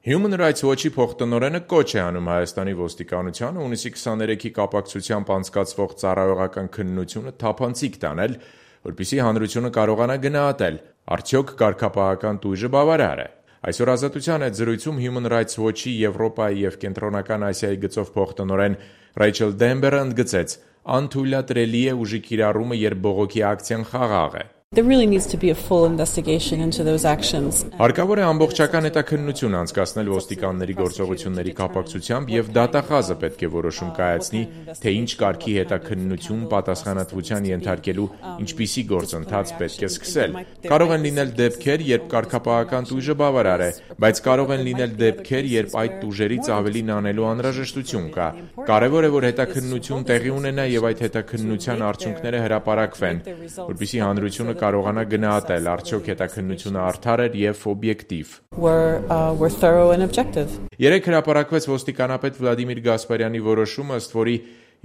Human Rights Watch-ի փոխտնօրենը կոչ է անում Հայաստանի ոստիկանությանը հունիսի 23-ի կապակցությամբ անցկացվող ծառայողական քննությունը թափանցիկ տանել, որպեսզի հանրությունը կարողանա գնահատել՝ արդյոք կարգապահական տույժը բավարար է։ Այսօր Ազատության հետ զրույցում Human Rights Watch-ի Եվրոպայի և Կենտրոնական Ասիայի գծով փոխտնօրեն Ռեյչել Դեմբերը ընդգծեց. «Անթույլատրելի է ուժի կիրառումը, երբ բողոքի ակցիան խաղաղ է»։ There really needs to be a full investigation into those actions. Հարկավոր է ամբողջական հետաքննություն անցկացնել ոստիկանների գործողությունների կապակցությամբ և դատախազը պետք է որոշում կայացնի, թե ինչ կարգի հետաքննություն պատասխանատվության ենթարկելու ինչպիսի գործընթաց պետք է սկսել։ Կարող են լինել դեպքեր, երբ կարգապահական տույժը բավարար է, բայց կարող են լինել դեպքեր, երբ այդ տուժերից ավելին անելու անհրաժեշտություն կա։ Կարևոր է, որ հետաքննություն տեղի ունենա և այդ հետաքննության արդյունքները հրապարակվեն, որպեսզի հանրությունը կարողանա գնահատել, արդյոք հետաքննությունը արդար էր և օբյեկտիվ։ Երեկ հրապարակվեց ոստիկանապետ Վլադիմիր Գասպարյանի որոշումը, ըստ որի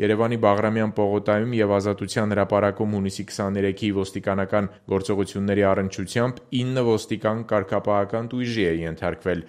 Երևանի Բաղրամյան պողոտայում և Ազատության հրապարակում հունիսի 23-ի ոստիկանական գործողությունների առնչությամբ 9 ոստիկան կարգապահական տույժի է ենթարկվել։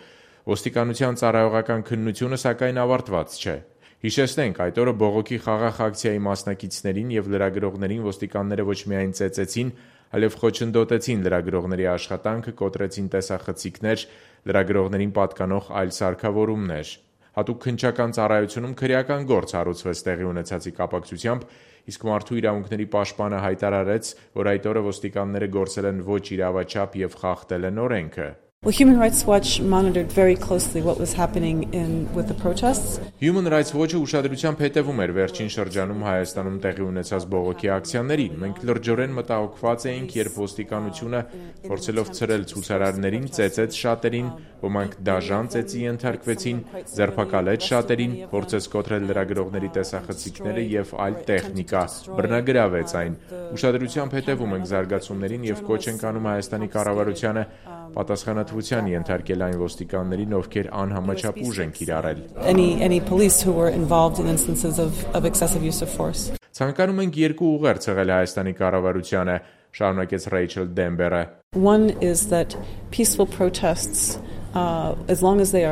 Ոստիկանության ծառայողական քննությունը, սակայն, ավարտված չէ։ Հիշեցնենք, այդ օրը բողոքի խաղաղ ակցիայի մասնակիցներին և լրագրողներին ոստիկանները ոչ միայն ծեծեցին, այլև խոչընդոտեցին լրագրողների աշխատանքը, կոտրեցին տեսախցիկներ, լրագրողներին պատկանող այլ սարքավորումներ։ Հատուկ քննչական ծառայությունում քրեական գործ հարուցվեց տեղի ունեցածի կապակցությամբ, իսկ Մարդու իրավունքների պաշտպանը հայտարարեց, որ այդ օրը ոստիկանները գործել են ոչ իրավաչափ և խախտել են օրենքը։ Well, Human Rights Watch monitored very closely what was happening with the protests. Human Rights Watch-ը ուշադրությամբ հետևում էր վերջին շրջանում Հայաստանում տեղի ունեցած բողոքի ակցիաներին։ Մենք լրջորեն մտահոգված էինք, երբ ոստիկանությունը, փորձելով ցրել ցուցարարներին, ծեծեց շատերին, ոմանք դաժան ծեծի ենթարկվեցին, ձերբակալեց շատերին, փորձեց կոտրել լրագրողների տեսախցիկները և այլ տեխնիկա, բռնագրավեց այն։ Ուշադրությամբ հետևում ենք զարգացումներին և կոչ ենք անում Հայաստանի կառավարությանը պատասխանատվության ենթարկել այն ոստիկաններին, ովքեր անհամաչափ ուժ են կիրառել։ Ցանկանում ենք երկու ուղերձ եղել Հայաստանի կառավարությանը, շարունակեց Ռեյչել Դեմբերը։ One is that peaceful protests as long as they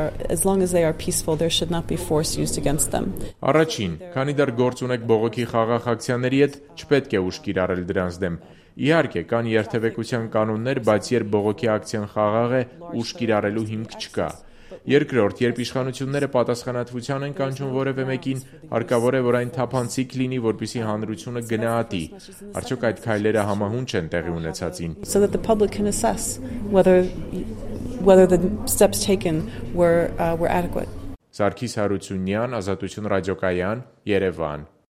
are peaceful, there should not be force used against them. Առաջին, քանի դեռ գործ ունեք բողոքի խաղաղ ակցիաների հետ, չպետք է ուժ կիրառել դրանց դեմ։ Իհարկե, կան երթևեկության կանոններ, բայց երբ բողոքի ակցիան խաղաղ է, ուժ կիրառելու հիմք չկա։ Երկրորդ, երբ իշխանությունները պատասխանատվության են կանչում որևէ մեկին, հարկավոր է, որ այն թափանցիկ լինի, որպեսզի հանրությունը գնահատի, արդյոք այդ քայլերը համահունչ են տեղի ունեցածին։ So that the public can assess whether the steps taken were adequate. Սարգիս Հարությունյան, Ազատություն ռադիոկայան, Երևան։